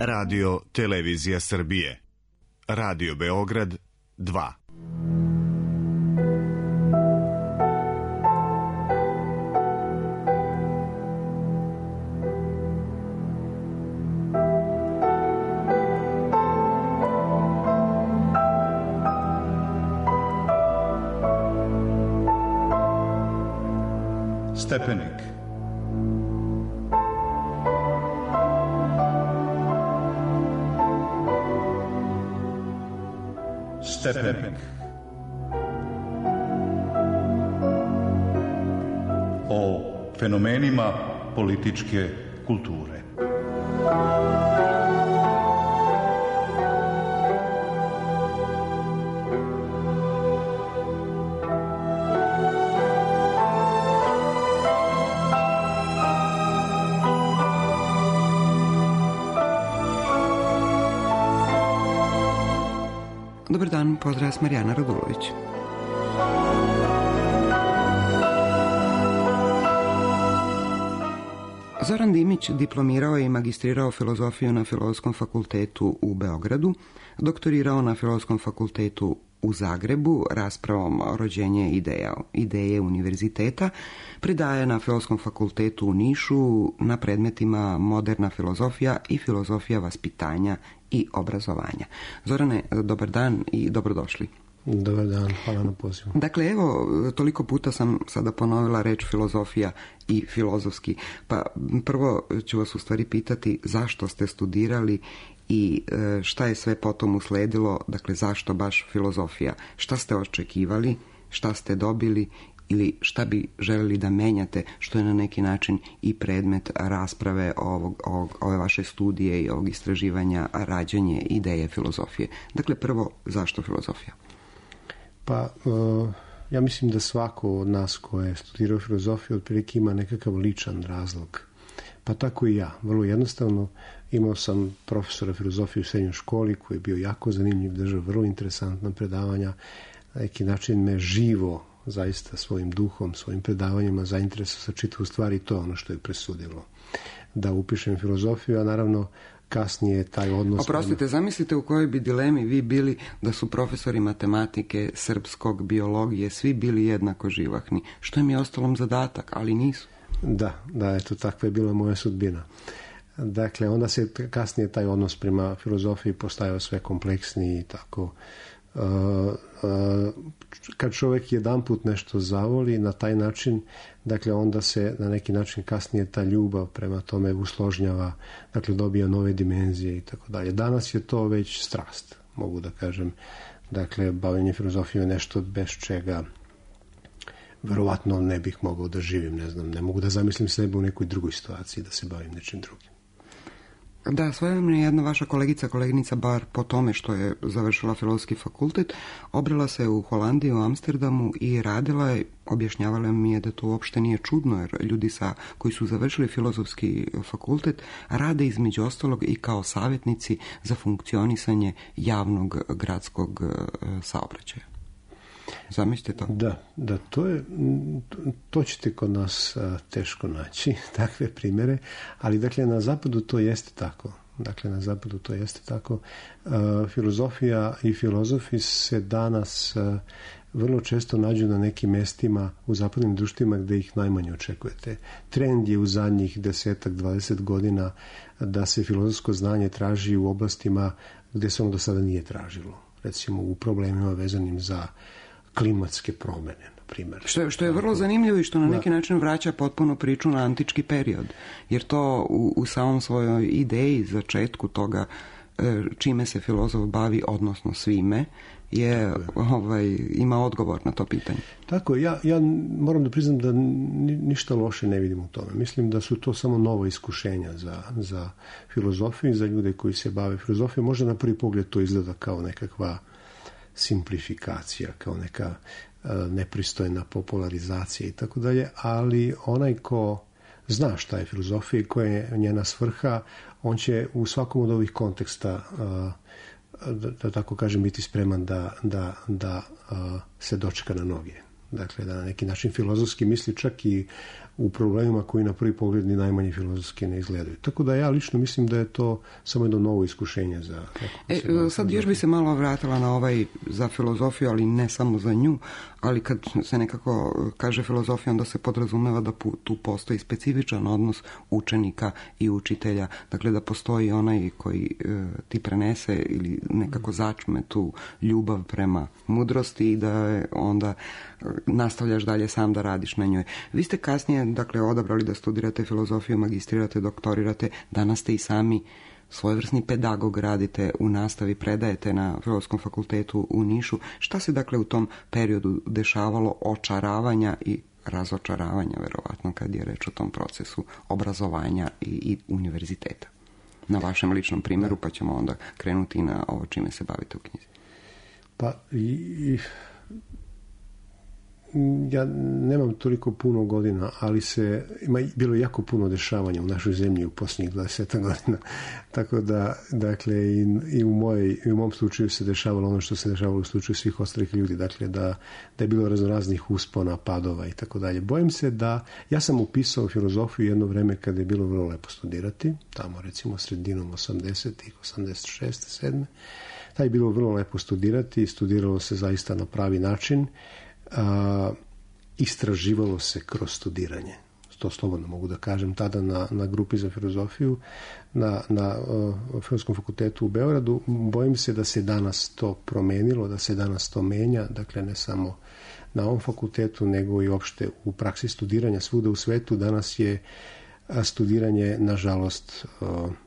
Radio Televizija Srbije. Radio Beograd 2. Stepenik. Stepenik. O fenomenima političke kulture. Dobar dan, pozdrav vas Marijana Radulović. Zoran Dimić diplomirao je i magistrirao filozofiju na Filozofskom fakultetu u Beogradu, doktorirao na Filozofskom fakultetu u Zagrebu raspravom Rođenje ideje univerziteta, predaje na Filozofskom fakultetu u Nišu na predmetima moderna filozofija i filozofija vaspitanja i obrazovanja. Zorane, dobar dan i dobrodošli. Dobar dan, hvala na pozivu. Dakle, evo, toliko puta sam sada ponovila reč filozofija i filozofski, pa prvo ću vas u stvari pitati zašto ste studirali i šta je sve potom usledilo, dakle zašto baš filozofija, šta ste očekivali, šta ste dobili ili šta bi željeli da menjate, što je na neki način i predmet rasprave ove vaše studije i ovog istraživanja rađanje ideje filozofije. Dakle, prvo, zašto filozofija? Pa, ja mislim da svako od nas ko je studirao filozofiju otprilike ima nekakav ličan razlog. Pa tako i ja. Vrlo jednostavno, imao sam profesora filozofije u srednjoj školi koji je bio jako zanimljiv, držao vrlo interesantna predavanja. Na neki način me živo, zaista svojim duhom, svojim predavanjima zainteresovao sa čitavu stvari i to je ono što je presudilo da upišem filozofiju, a naravno kasnije taj odnos... Oprostite, zamislite u kojoj bi dilemi vi bili da su profesori matematike, srpskog, biologije, svi bili jednako živahni. Što im je ostalom zadatak, ali nisu. Da, eto, takva je bila moja sudbina. Dakle, onda se kasnije taj odnos prema filozofiji postajao sve kompleksniji i tako. Kad čovjek jedanput nešto zavoli na taj način, dakle onda se na neki način kasnije ta ljubav prema tome usložnjava, dakle dobija nove dimenzije i tako dalje. Danas je to već strast, mogu da kažem. Dakle, bavljenje filozofije je nešto bez čega verovatno ne bih mogao da živim, ne mogu da zamislim sebe u nekoj drugoj situaciji da se bavim nečim drugim. Da, svojevremeno je jedna vaša koleginica, bar po tome što je završila filozofski fakultet, obrala se u Holandiji, u Amsterdamu i radila je, objašnjavala mi je da to uopšte nije čudno, jer ljudi koji su završili filozofski fakultet rade između ostalog i kao savjetnici za funkcionisanje javnog gradskog saobraćaja. Zamislite to? Da, to ćete kod nas teško naći, takve primjere, ali dakle na zapadu to jeste tako. Filozofija i filozofi se danas vrlo često nađu na nekim mestima u zapadnim društvima gdje ih najmanje očekujete. Trend je u zadnjih 10-20 godina da se filozofsko znanje traži u oblastima gdje se ono do sada nije tražilo. Recimo u problemima vezanim za klimatske promjene, na primjer. Što je vrlo zanimljivo i što na neki način vraća potpuno priču na antički period. Jer to u samom svojoj ideji, začetku toga čime se filozof bavi, odnosno svime, ima odgovor na to pitanje. Tako, ja moram da priznam da ništa loše ne vidim u tome. Mislim da su to samo nova iskušenja za filozofiju i za ljude koji se bave filozofijom. Možda na prvi pogled to izgleda kao nekakva simplifikacija, kao neka nepristojna popularizacija i tako dalje, ali onaj ko zna šta je filozofija i koja je njena svrha, on će u svakom od ovih konteksta da tako kažem biti spreman da se dočeka na noge. Dakle, da na neki način filozofski misli čak i u problemima koji na prvi pogled ni najmanje filozofski ne izgledaju. Tako da ja lično mislim da je to samo jedno novo iskušenje za... Sad još bi se malo vratila na za filozofiju, ali ne samo za nju, ali kad se nekako kaže filozofija, onda se podrazumeva da tu postoji specifičan odnos učenika i učitelja. Dakle, da postoji onaj koji ti prenese ili nekako začme tu ljubav prema mudrosti i da onda nastavljaš dalje sam da radiš na njoj. Vi ste kasnije, dakle, odabrali da studirate filozofiju, magistrirate, doktorirate, danas ste i sami svojevrsni pedagog, radite u nastavi, predajete na Filozofskom fakultetu u Nišu. Šta se, dakle, u tom periodu dešavalo očaravanja i razočaravanja, verovatno, kad je reč o tom procesu obrazovanja i univerziteta? Na vašem ličnom primjeru, pa ćemo onda krenuti na ovo čime se bavite u knjizi. Pa ja nemam toliko puno godina, ali bilo jako puno dešavanja u našoj zemlji u posljednjih 20 godina. Tako da, dakle, i u mom slučaju se dešavalo ono što se dešavalo u slučaju svih ostalih ljudi. Dakle, da je bilo raznih uspona, padova i tako dalje. Bojim se da, ja sam upisao filozofiju jedno vreme kada je bilo vrlo lepo studirati, tamo recimo sredinom 80-ih, 86. 7. Taj je bilo vrlo lepo studirati, studiralo se zaista na pravi način. Istraživalo se kroz studiranje. To slobodno mogu da kažem. Tada na grupi za filozofiju na Filozofskom fakultetu u Beogradu. Bojim se da se danas to promenilo, da se danas to menja. Dakle, ne samo na ovom fakultetu, nego i uopšte u praksi studiranja svuda u svetu. Danas je studiranje, nažalost,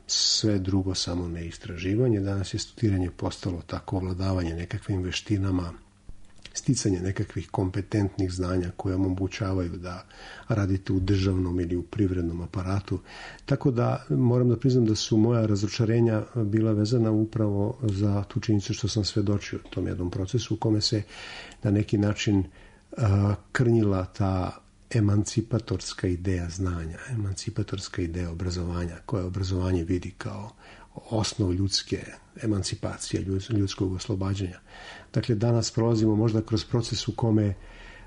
sve drugo, samo ne istraživanje. Danas je studiranje postalo tako ovladavanje nekakvim veštinama, sticanje nekakvih kompetentnih znanja koje omogućavaju da radite u državnom ili u privrednom aparatu. Tako da moram da priznam da su moja razočarenja bila vezana upravo za tu činjenicu što sam svedočio tom jednom procesu u kome se na neki način krnjila ta emancipatorska ideja znanja, emancipatorska ideja obrazovanja, koja obrazovanje vidi kao osnov ljudske emancipacije, ljudskog oslobađanja. Dakle, danas prolazimo možda kroz proces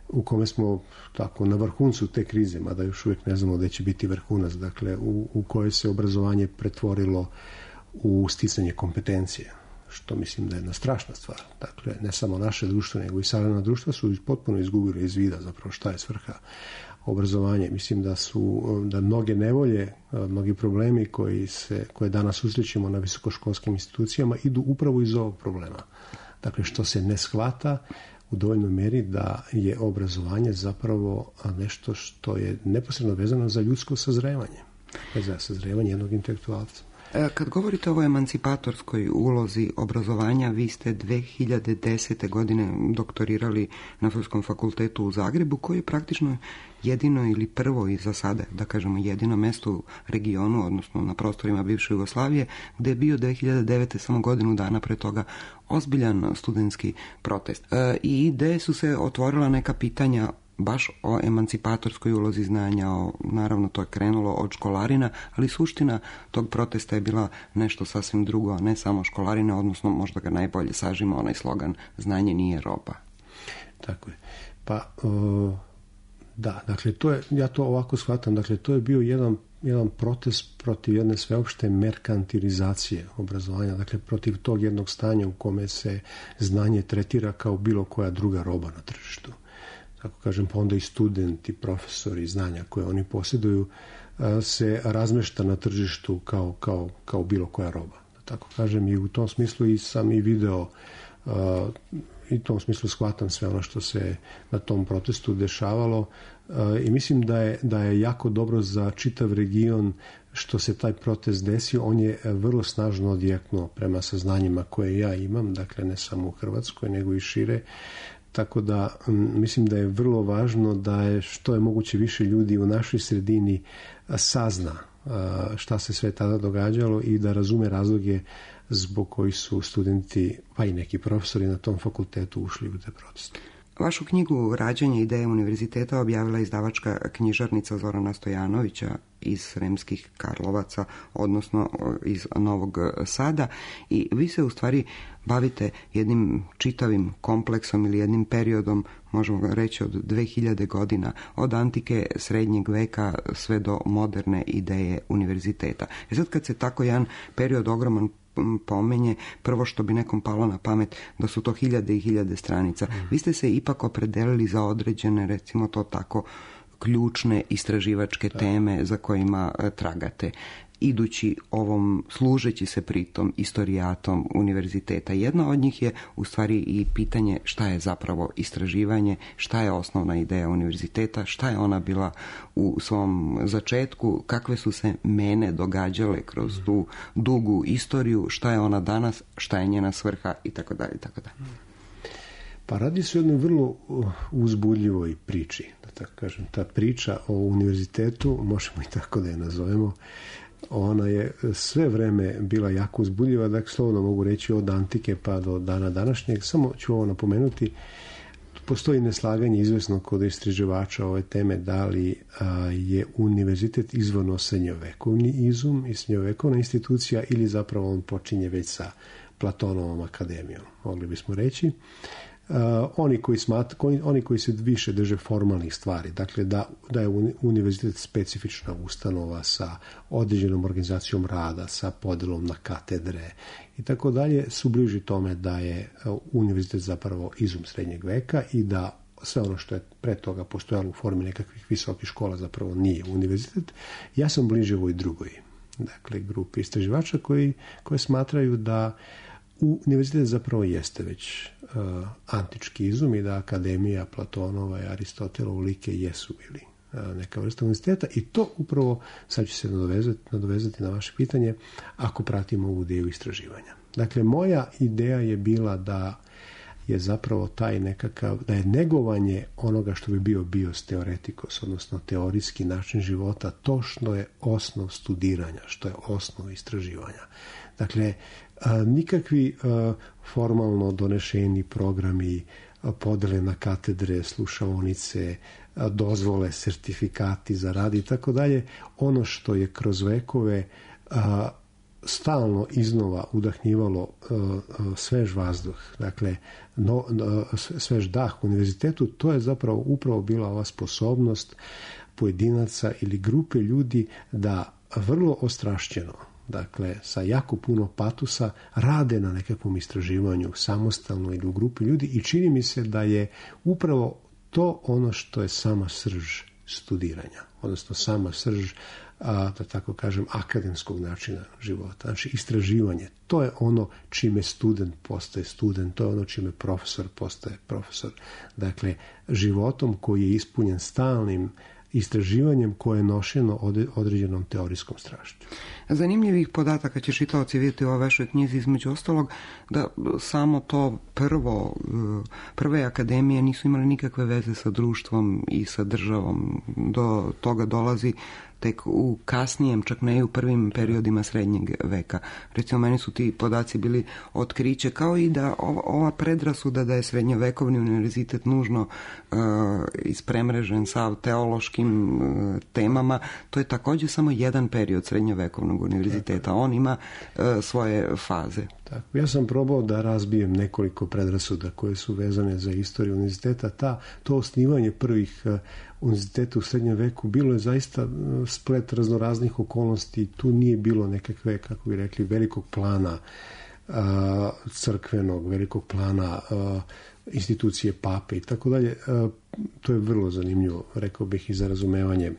u kome smo tako na vrhuncu te krize, mada još uvijek ne znamo da će biti vrhunac, dakle, u kojoj se obrazovanje pretvorilo u sticanje kompetencije, što mislim da je jedna strašna stvar. Dakle, ne samo naše društvo, nego i savremena društva su potpuno izgubile iz vida zapravo šta je svrha obrazovanje. Mislim da mnoge nevolje, mnogi problemi koje danas susrećemo na visokoškolskim institucijama idu upravo iz ovog problema. Dakle, što se ne shvata u dovoljnoj meri da je obrazovanje zapravo nešto što je neposredno vezano za ljudsko sazrevanje, za sazrevanje jednog intelektualca. Kad govorite o emancipatorskoj ulozi obrazovanja, vi ste 2010. godine doktorirali na Filozofskom fakultetu u Zagrebu, koji je praktično jedino ili prvo i za sada, da kažemo, jedino mesto u regionu, odnosno na prostorima bivše Jugoslavije, gde je bio 2009. samo godinu dana pre toga ozbiljan studentski protest. I gde su se otvorila neka pitanja baš o emancipatorskoj ulozi znanja. Naravno, to je krenulo od školarina, ali suština tog protesta je bila nešto sasvim drugo, a ne samo školarina, odnosno možda ga najbolje sažima onaj slogan znanje nije roba. Tako je. Pa, da, dakle, ja to ovako shvatam, dakle, to je bio jedan protest protiv jedne sveopšte merkantilizacije obrazovanja, dakle, protiv tog jednog stanja u kome se znanje tretira kao bilo koja druga roba na tržištu. Tako kažem, pa onda i studenti, profesori, znanja koje oni posjeduju se razmešta na tržištu kao bilo koja roba. Tako kažem, i u tom smislu i sam i video i u tom smislu shvatam sve ono što se na tom protestu dešavalo i mislim da je jako dobro za čitav region što se taj protest desio. On je vrlo snažno odjeknuo prema saznanjima koje ja imam, dakle ne samo u Hrvatskoj nego i šire. Tako da mislim da je vrlo važno da je što je moguće više ljudi u našoj sredini sazna šta se sve tada događalo i da razume razloge zbog kojih su studenti, pa i neki profesori na tom fakultetu ušli u te proteste. Vašu knjigu Rađanje ideje univerziteta objavila izdavačka knjižarnica Zorana Stojanovića iz Sremskih Karlovaca, odnosno iz Novog Sada, i vi se u stvari bavite jednim čitavim kompleksom ili jednim periodom, možemo reći od 2000 godina, od antike, srednjeg veka sve do moderne ideje univerziteta. I sad kad se tako jedan period ogroman pomenje, prvo što bi nekom palo na pamet da su to hiljade i hiljade stranica. Vi ste se ipak opredelili za određene, recimo to tako, ključne istraživačke teme za kojima tragate, idući ovom, služeći se pritom istorijatom univerziteta. Jedna od njih je u stvari i pitanje šta je zapravo istraživanje, šta je osnovna ideja univerziteta, šta je ona bila u svom začetku, kakve su se mene događale kroz tu dugu istoriju, šta je ona danas, šta je njena svrha itd. itd. Pa radi se o jednoj vrlo uzbudljivoj priči, da tako kažem. Ta priča o univerzitetu, možemo i tako da je nazovemo, ona je sve vreme bila jako uzbudljiva, dakle slovno mogu reći od antike pa do dana današnjeg. Samo ću ovo napomenuti, postoji neslaganje izvesno kod istraživača ove teme da li je univerzitet izvorno srednjovekovni izum i srednjovekovna institucija ili zapravo on počinje već sa Platonovom akademijom, mogli bismo reći. Oni koji se više drže formalnih stvari, dakle da je univerzitet specifična ustanova sa određenom organizacijom rada, sa podelom na katedre i tako dalje, su bliži tome da je univerzitet zapravo izum srednjeg veka i da sve ono što je pre toga postojalo u formi nekakvih visokih škola zapravo nije univerzitet. Ja sam bliže ovoj drugoj, dakle, grupi istraživača koji smatraju da univerzitet zapravo jeste već antički izum i da akademija Platonova i Aristotelova like jesu bili neka vrsta univerziteta, i to upravo, sad ću se nadovezati na vaše pitanje, ako pratimo ovu ideju istraživanja. Dakle, moja ideja je bila da je zapravo taj nekakav, da je negovanje onoga što bi bio bios teoretikos, odnosno teorijski način života, to što je osnov studiranja, što je osnov istraživanja. Dakle, nikakvi formalno donešeni programi, podele na katedre, slušaonice, dozvole, sertifikati za rad i tako dalje, ono što je kroz vekove stalno iznova udahnjivalo svež vazduh, dakle svež dah u univerzitetu, to je zapravo upravo bila ova sposobnost pojedinaca ili grupe ljudi da vrlo ostrašćeno, dakle sa jako puno patusa, rade na nekakvom istraživanju samostalno ili u grupi ljudi, i čini mi se da je upravo to ono što je sama srž studiranja, odnosno sama srž, da tako kažem, akademskog načina života. Znači, istraživanje, to je ono čime student postaje student, to je ono čime profesor postaje profesor. Dakle, životom koji je ispunjen stalnim istraživanjem koje je nošeno određenom teorijskom strašću. Zanimljivih podataka će čitaoci vidjeti u ovoj vašoj knjizi, između ostalog, da samo to prve akademije nisu imale nikakve veze sa društvom i sa državom. Do toga dolazi tek u kasnijem, čak ne i u prvim periodima srednjeg veka. Recimo, meni su ti podaci bili otkriće, kao i da ova predrasuda da je srednjovekovni univerzitet nužno ispremrežen sa teološkim temama, to je također samo jedan period srednjovekovnog univerziteta. On ima svoje faze. Tako, ja sam probao da razbijem nekoliko predrasuda koje su vezane za istoriju univerziteta. To osnivanje prvih univerziteta u srednjem veku bilo je zaista splet raznoraznih okolnosti. Tu nije bilo nekakve, kako bi rekli, velikog plana crkvenog, velikog plana institucije pape i tako dalje. To je vrlo zanimljivo, rekao bih, i za razumevanje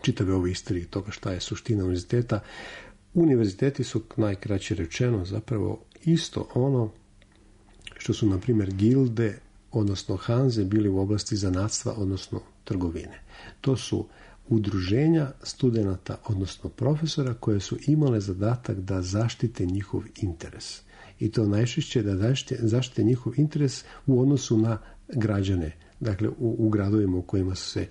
čitave ove istorije toga šta je suština univerziteta. Univerziteti su, najkraće rečeno, zapravo isto ono što su, na primjer, gilde, odnosno hanze, bili u oblasti zanatstva, odnosno trgovine. To su udruženja studenata, odnosno profesora, koje su imale zadatak da zaštite njihov interes. I to najčešće da zaštite njihov interes u odnosu na građane, dakle u gradovima u kojima su se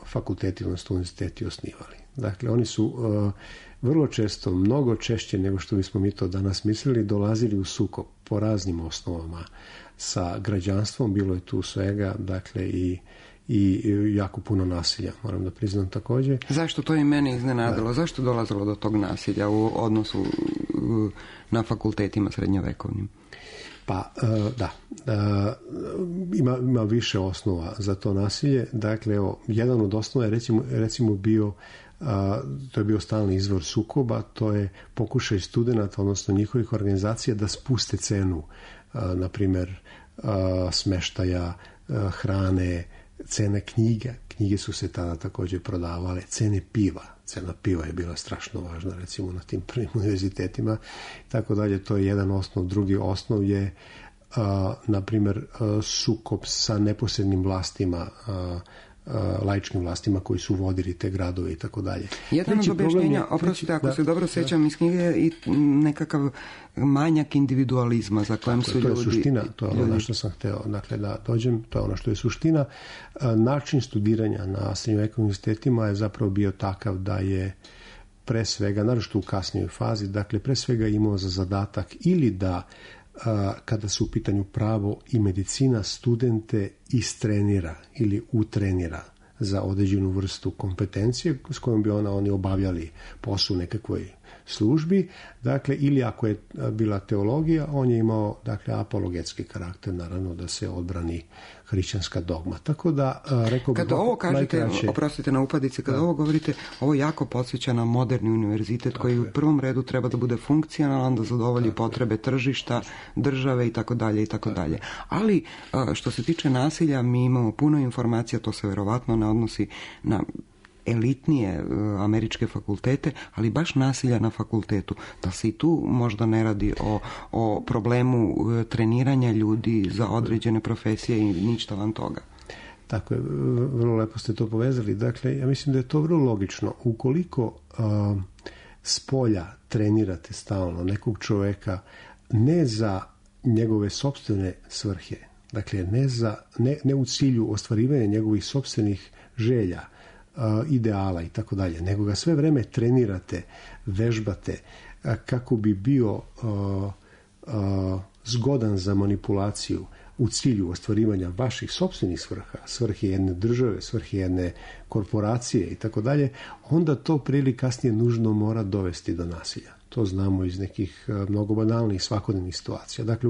fakulteti, odnosno univerziteti osnivali. Dakle, oni su vrlo često, mnogo češće nego što bismo mi to danas mislili, dolazili u sukob po raznim osnovama sa građanstvom, bilo je tu svega, dakle i jako puno nasilja, moram da priznam također. Zašto to i mene iznenadilo? Zašto dolazilo do tog nasilja u odnosu na fakultetima srednjovekovnim? Pa ima više osnova za to nasilje. Dakle, jedan od osnova je recimo bio, to je bio stalni izvor sukoba, to je pokušaj studenata, odnosno njihovih organizacija da spuste cenu, na primjer smeštaja, hrane, cene knjiga. Knjige su se tada također prodavale, cene piva. Cena piva je bila strašno važna, recimo na tim prvim univerzitetima. Tako dalje, to je jedan osnov. Drugi osnov je, na primjer, sukob sa neposrednim vlastima, laičkim vlastima koji su vodili te gradove i tako dalje. Jedan od objašnjenja, oprostite, ako se dobro sjećam iz knjige, i nekakav manjak individualizma za kojem su ljudi... To je suština, to je ono na što sam hteo, dakle, da dođem, to je ono što je suština. Način studiranja na srednjovekovnim univerzitetima je zapravo bio takav da je pre svega, naročito u kasnijoj fazi, dakle, pre svega imao za zadatak ili da kada su u pitanju pravo i medicina, studente istrenira ili utrenira za određenu vrstu kompetencije s kojom bi oni obavljali posao u nekakvoj službi. Dakle, ili ako je bila teologija, on je imao, dakle, apologetski karakter, naravno da se odbrani hrišćanska dogma. Tako da, rekao bih, kada ovo kažete, najkraće... oprostite na upadici, kada ovo govorite, ovo jako podsjeća na moderni univerzitet koji u prvom redu treba da bude funkcionalan, da zadovolji potrebe tržišta, države i tako dalje i tako dalje. Ali što se tiče nasilja, mi imamo puno informacija, to se verovatno ne odnosi na elitnije američke fakultete, ali baš nasilja na fakultetu. Da se i tu možda ne radi o problemu treniranja ljudi za određene profesije i ništa van toga. Tako je, vrlo lepo ste to povezali. Dakle, ja mislim da je to vrlo logično. Ukoliko s polja trenirate stalno nekog čoveka ne za njegove sopstvene svrhe, dakle ne u cilju ostvarivanja njegovih sopstvenih želja, ideala i tako dalje, nego ga sve vreme trenirate, vežbate kako bi bio zgodan za manipulaciju u cilju ostvarivanja vaših sopstvenih svrha, svrhe jedne države, svrhe jedne korporacije i tako dalje, onda to prije ili kasnije nužno mora dovesti do nasilja. To znamo iz nekih mnogo banalnih svakodnevnih situacija. Dakle,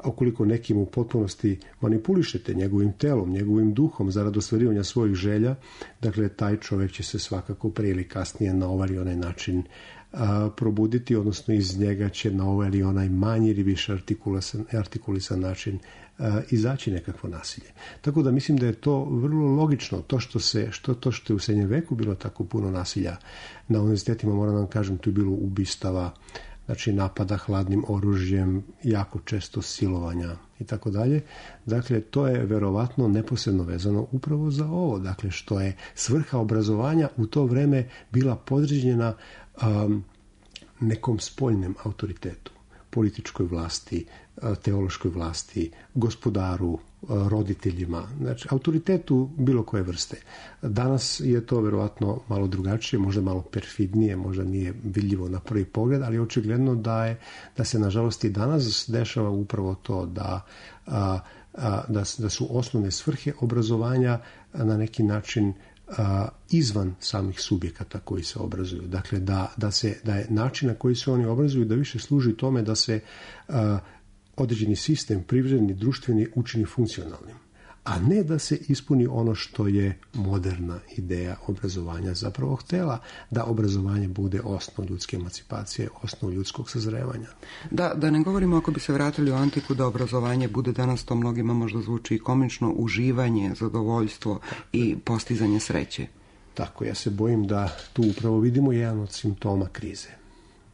ukoliko nekim u potpunosti manipulišete njegovim telom, njegovim duhom zarad ostvarivanja svojih želja, dakle, taj čovjek će se svakako prije ili kasnije na ovaj ili onaj način probuditi, odnosno iz njega će na ovaj ili onaj manji ili više artikulisan način izaći nekakvo nasilje. Tako da mislim da je to vrlo logično. To što je u srednjem veku bilo tako puno nasilja na univerzitetima, moram vam kažem, tu je bilo ubistava, znači napada hladnim oružjem, jako često silovanja i tako dalje. Dakle, to je verovatno neposredno vezano upravo za ovo. Dakle, što je svrha obrazovanja u to vreme bila podređena nekom spoljnem autoritetu, političkoj vlasti, teološkoj vlasti, gospodaru, roditeljima, znači autoritetu bilo koje vrste. Danas je to verovatno malo drugačije, možda malo perfidnije, možda nije vidljivo na prvi pogled, ali očigledno da se nažalost i danas dešava upravo to da su osnovne svrhe obrazovanja na neki način izvan samih subjekata koji se obrazuju. Dakle, da je način na koji se oni obrazuju da više služi tome da se određeni sistem, privredni, društveni, učini funkcionalnim, a ne da se ispuni ono što je moderna ideja obrazovanja zapravo htela, da obrazovanje bude osnov ljudske emancipacije, osnov ljudskog sazrevanja. Da ne govorimo, ako bi se vratili u antiku, da obrazovanje bude danas, to mnogima možda zvuči i komično, uživanje, zadovoljstvo i postizanje sreće. Tako, ja se bojim da tu upravo vidimo jedan od simptoma krize.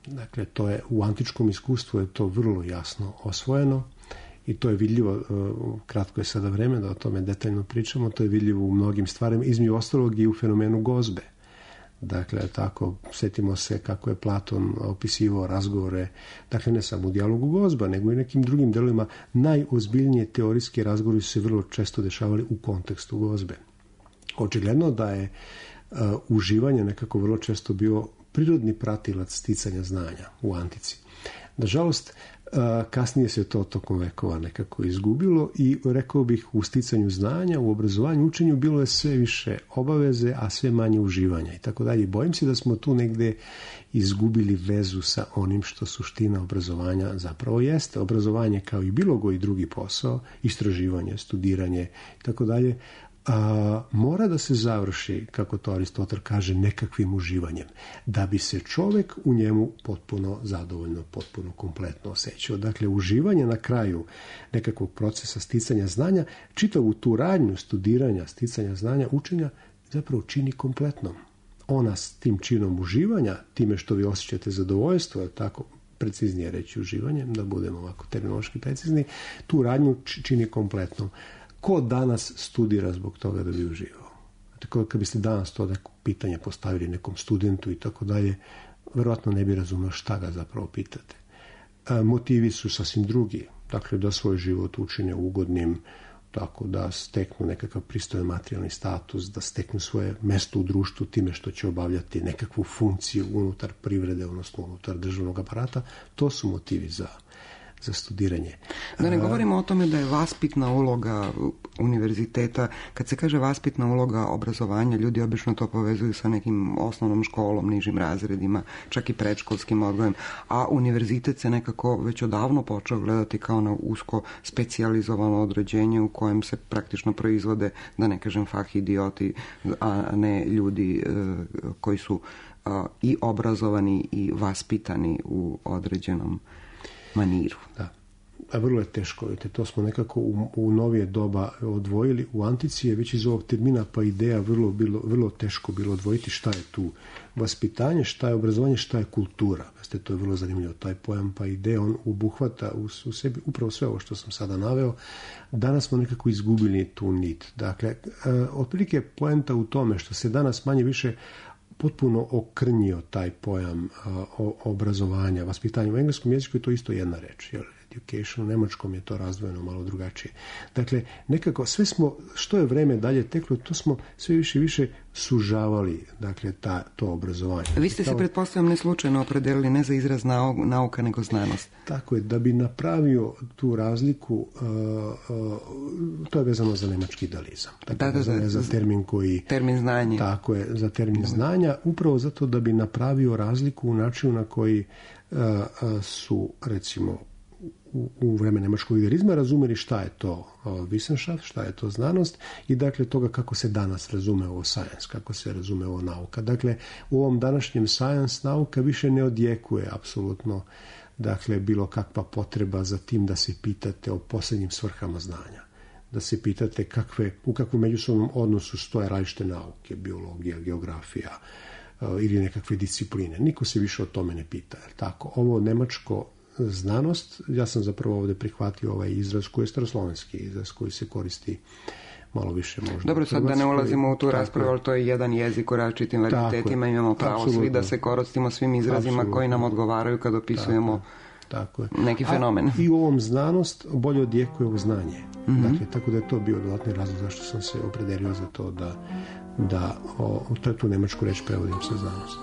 Dakle, to je u antičkom iskustvu je to vrlo jasno osvojeno i to je vidljivo, kratko je sada vreme da o tome detaljno pričamo, to je vidljivo u mnogim stvarima, između ostalog i u fenomenu gozbe. Dakle, tako, sjetimo se kako je Platon opisivao razgovore, dakle ne samo u dijalogu gozba, nego i nekim drugim delovima. Najozbiljnije teorijski razgovori su se vrlo često dešavali u kontekstu gozbe. Očigledno da je uživanje nekako vrlo često bio prirodni pratilac sticanja znanja u antici. Nažalost, Kasnije se to tokom vekova nekako izgubilo i rekao bih u sticanju znanja, u obrazovanju, učenju bilo je sve više obaveze, a sve manje uživanja i tako dalje. Bojim se da smo tu negde izgubili vezu sa onim što suština obrazovanja zapravo jeste. Obrazovanje kao i bilo koji drugi posao, istraživanje, studiranje i tako dalje, mora da se završi, kako to Aristotel kaže, nekakvim uživanjem, da bi se čovjek u njemu potpuno zadovoljno, potpuno kompletno osjećao. Dakle, uživanje na kraju nekakvog procesa sticanja znanja, čitavu tu radnju studiranja, sticanja znanja, učenja, zapravo čini kompletnom. Ona s tim činom uživanja, time što vi osjećate zadovoljstvo, je tako preciznije reći uživanjem, da budemo ovako terminološki precizni, tu radnju čini kompletnom. Ko danas studira zbog toga da bi uživao? Tako kad biste danas to pitanje postavili nekom studentu i tako dalje, verovatno ne bi razumio šta ga zapravo pitate. Motivi su sasvim drugi. Dakle, da svoj život učine ugodnim, tako da steknu nekakav pristojan materijalni status, da steknu svoje mesto u društvu time što će obavljati nekakvu funkciju unutar privrede, odnosno unutar državnog aparata. To su motivi za studiranje. Da ne govorimo o tome da je vaspitna uloga univerziteta. Kad se kaže vaspitna uloga obrazovanja, ljudi obično to povezuju sa nekim osnovnom školom, nižim razredima, čak i predškolskim odgojem, a univerzitet se nekako već odavno počeo gledati kao na usko specijalizovano određenje u kojem se praktično proizvode, da ne kažem fah idioti, a ne ljudi koji su i obrazovani i vaspitani u određenom maniru. Da. A vrlo je teško, vidite, to smo nekako u novije doba odvojili. U antici je već iz ovog termina pa ideja vrlo teško bilo odvojiti šta je tu vaspitanje, šta je obrazovanje, šta je kultura. Veste, to je vrlo zanimljivo, taj pojam pa ideja, on obuhvata u sebi upravo sve ovo što sam sada naveo. Danas smo nekako izgubili tu nit. Dakle, otprilike poenta u tome što se danas manje više potpuno okrnjio taj pojam obrazovanja, vaspitanja. U engleskom jeziku je to isto jedna reč, education, u nemačkom je to razdvojeno malo drugačije. Dakle, nekako sve smo, što je vreme dalje teklo, to smo sve više i više sužavali, dakle, to obrazovanje. Vi ste se, pretpostavljam, ne slučajno opredelili ne za izraz nauka, nego znanost. Tako je, da bi napravio tu razliku, to je vezano za nemački idealizam. Dakle, za termin koji... Termin znanja. Tako je, za termin znanja, upravo zato da bi napravio razliku u načinu na koji su, recimo, u vreme nemačkog idealizma razumeli šta je to Wissenschaft, šta je to znanost i dakle toga kako se danas razume ovo science, kako se razume ovo nauka. Dakle, u ovom današnjem science nauka više ne odjekuje apsolutno, dakle, bilo kakva potreba za tim da se pitate o posljednjim svrhama znanja. Da se pitate u kakvom međusobnom odnosu stoje različite nauke, biologija, geografija ili nekakve discipline. Niko se više o tome ne pita. Tako, ovo nemačko znanost, ja sam zapravo ovdje prihvatio ovaj izraz koji je staroslovenski izraz koji se koristi malo više možda. Dobro, sad da ne ulazimo u tu raspravu, ali to je jedan jezik u različitim varitetima, imamo pravo svi da se koristimo svim izrazima koji nam odgovaraju kad opisujemo neki fenomen. I u ovom znanost bolje odjekuje ovo znanje. Dakle, tako da je to bio dodatni razlog zašto sam se opredelio za to da tu nemačku reč prevodim sa znanost.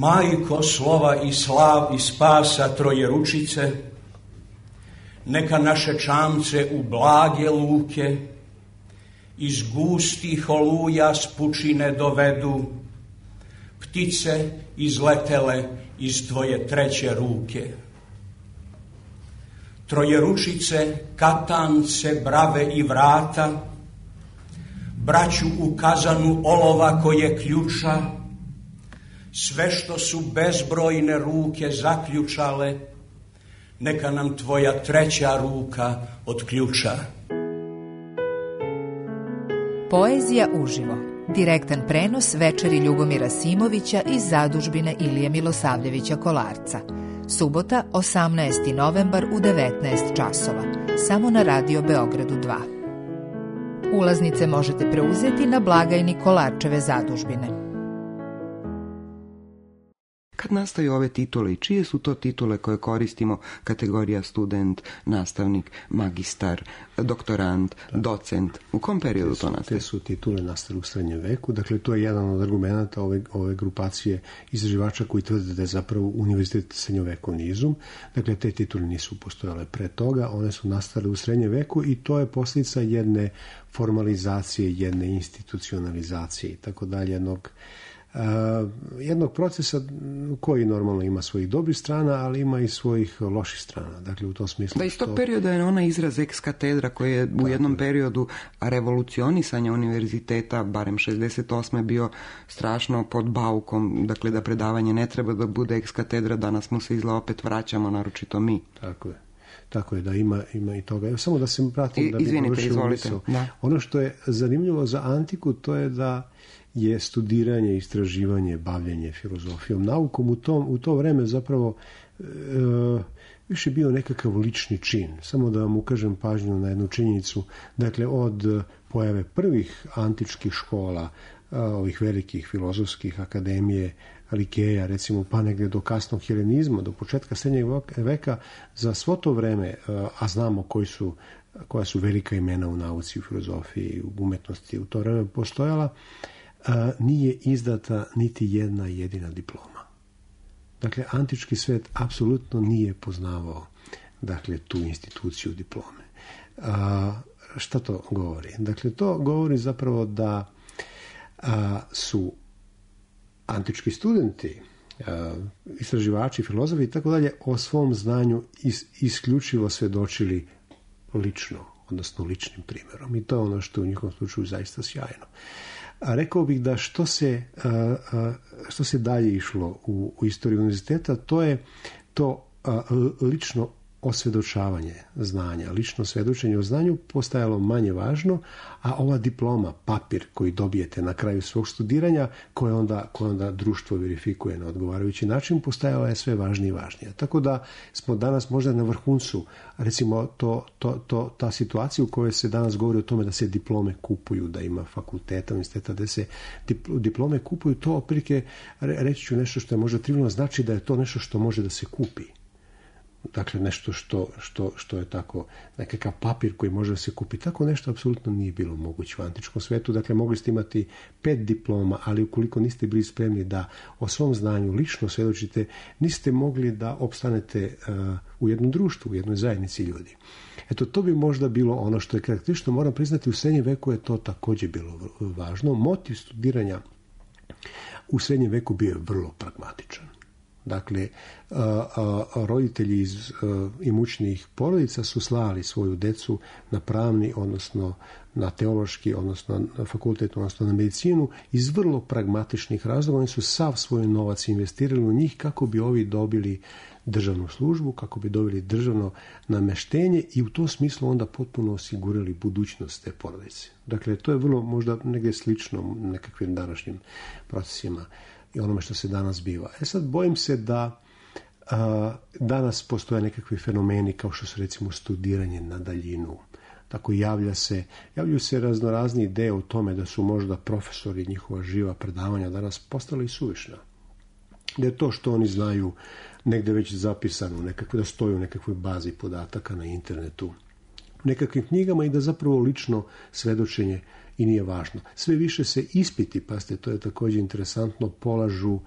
Majko slova i slav i spasa Trojeručice, neka naše čamce u blage luke iz gustih oluja s pučine dovedu, ptice izletele iz tvoje treće ruke. Trojeručice, katance, brave i vrata, braću u kazanu olova koje ključa, sve što su bezbrojne ruke zaključale, neka nam tvoja treća ruka otključa. Poezija uživo. Direktan prenos večeri Ljubomira Simovića iz zadužbine Ilije Milosavljevića Kolarca. Subota, 18. novembar u 19 časova. Samo na Radio Beogradu 2. Ulaznice možete preuzeti na blagajni Kolarčeve zadužbine. Kad nastaju ove titule i čije su to titule koje koristimo, kategorija student, nastavnik, magistar, doktorant, docent, u kom periodu to nastaje? Te su titule nastale u srednjem veku, dakle to je jedan od argumenta ove grupacije istraživača koji tvrde da je zapravo univerzitet srednjovekovni izum. Dakle, te titule nisu postojale pre toga, one su nastale u srednjem veku i to je posljedica jedne formalizacije, jedne institucionalizacije i tako dalje, jednog procesa koji normalno ima svojih dobrih strana, ali ima i svojih loših strana. Dakle, u tom smislu... Da, iz tog perioda je ona izraz ex katedra koji je u jednom periodu revolucionisanja univerziteta, barem 68. bio strašno pod baukom, dakle da predavanje ne treba da bude ex katedra, danas mu se izgleda opet vraćamo, naročito mi. Tako je da ima i toga. Evo, samo da se pratim da bi izvolite. Da. Ono što je zanimljivo za antiku, to je da je studiranje, istraživanje, bavljenje filozofijom, naukom u to vreme zapravo više bio nekakav lični čin. Samo da vam ukažem pažnju na jednu činjenicu. Dakle, od pojave prvih antičkih škola, ovih velikih filozofskih akademije, Likeja, recimo, pa negdje do kasnog helenizma, do početka srednjeg veka, za svo to vreme, a znamo koja su velika imena u nauci, u filozofiji, u umetnosti u to vreme postojala, nije izdata niti jedna jedina diploma. Dakle, antički svet apsolutno nije poznavao, dakle, tu instituciju diplome. Šta to govori? Dakle, to govori zapravo da su antički studenti, istraživači, filozofi i tako dalje o svom znanju isključivo svjedočili lično, odnosno ličnim primjerom. I to je ono što u njihovom slučaju zaista sjajno. A rekao bih da što se dalje išlo u istoriji univerziteta, to je to lično osvjedočavanje znanja, lično svjedočenje o znanju postajalo manje važno, a ova diploma, papir koji dobijete na kraju svog studiranja, koje onda društvo verifikuje na odgovarajući način, postajala je sve važnije i važnije. Tako da smo danas možda na vrhuncu, recimo ta situacija u kojoj se danas govori o tome da se diplome kupuju, da ima fakulteta, universiteta, da se diplome kupuju, to otprilike, reći ću nešto što je možda trivijalno, znači da je to nešto što može da se kupi. Dakle, nešto što je tako, nekakav papir koji može da se kupi. Tako nešto apsolutno nije bilo moguće u antičkom svetu. Dakle, mogli ste imati 5 diploma, ali ukoliko niste bili spremni da o svom znanju lično svjedočite, niste mogli da opstanete u jednom društvu, u jednoj zajednici ljudi. Eto, to bi možda bilo ono što je karakteristično. Moram priznati, u srednjem veku je to također bilo važno. Motiv studiranja u srednjem veku bio je vrlo pragmatičan. Dakle, roditelji iz imućnijih porodica su slali svoju decu na pravni, odnosno na teološki, odnosno na fakultet, odnosno na medicinu, iz vrlo pragmatičnih razloga. Oni su sav svoj novac investirali u njih kako bi ovi dobili državnu službu, kako bi dobili državno namještenje i u tom smislu onda potpuno osigurali budućnost te porodice. Dakle, to je vrlo možda negdje slično nekakvim današnjim procesima i onome što se danas biva. Sad bojim se da danas postoje nekakvi fenomeni kao što su recimo studiranje na daljinu. Tako javljaju se raznorazni ideje o tome da su možda profesori, njihova živa predavanja danas postala i suvišna. Da je to što oni znaju negdje već zapisano, da stoji u nekakvoj bazi podataka na internetu, u nekakvim knjigama i da zapravo lično svjedočenje i nije važno. Sve više se ispiti, pazite, to je također interesantno, polažu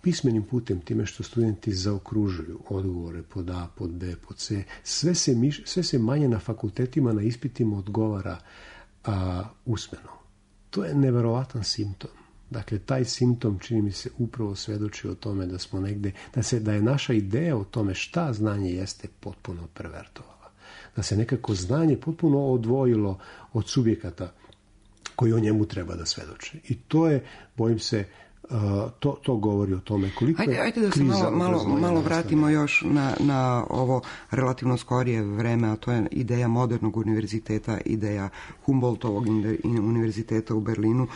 pismenim putem, time što studenti zaokružuju odgovore pod A, pod B, pod C, sve se manje na fakultetima, na ispitima odgovara usmeno. To je neverovatan simptom. Dakle, taj simptom, čini mi se, upravo svedoči o tome da smo negde, da je naša ideja o tome šta znanje jeste potpuno pervertovala. Da se nekako znanje potpuno odvojilo od subjekata koji o njemu treba da svedoče. I to je, bojim se, to govori o tome koliko je Ajde da se malo vratimo još na ovo relativno skorije vreme, a to je ideja modernog univerziteta, ideja Humboldtovog univerziteta u Berlinu,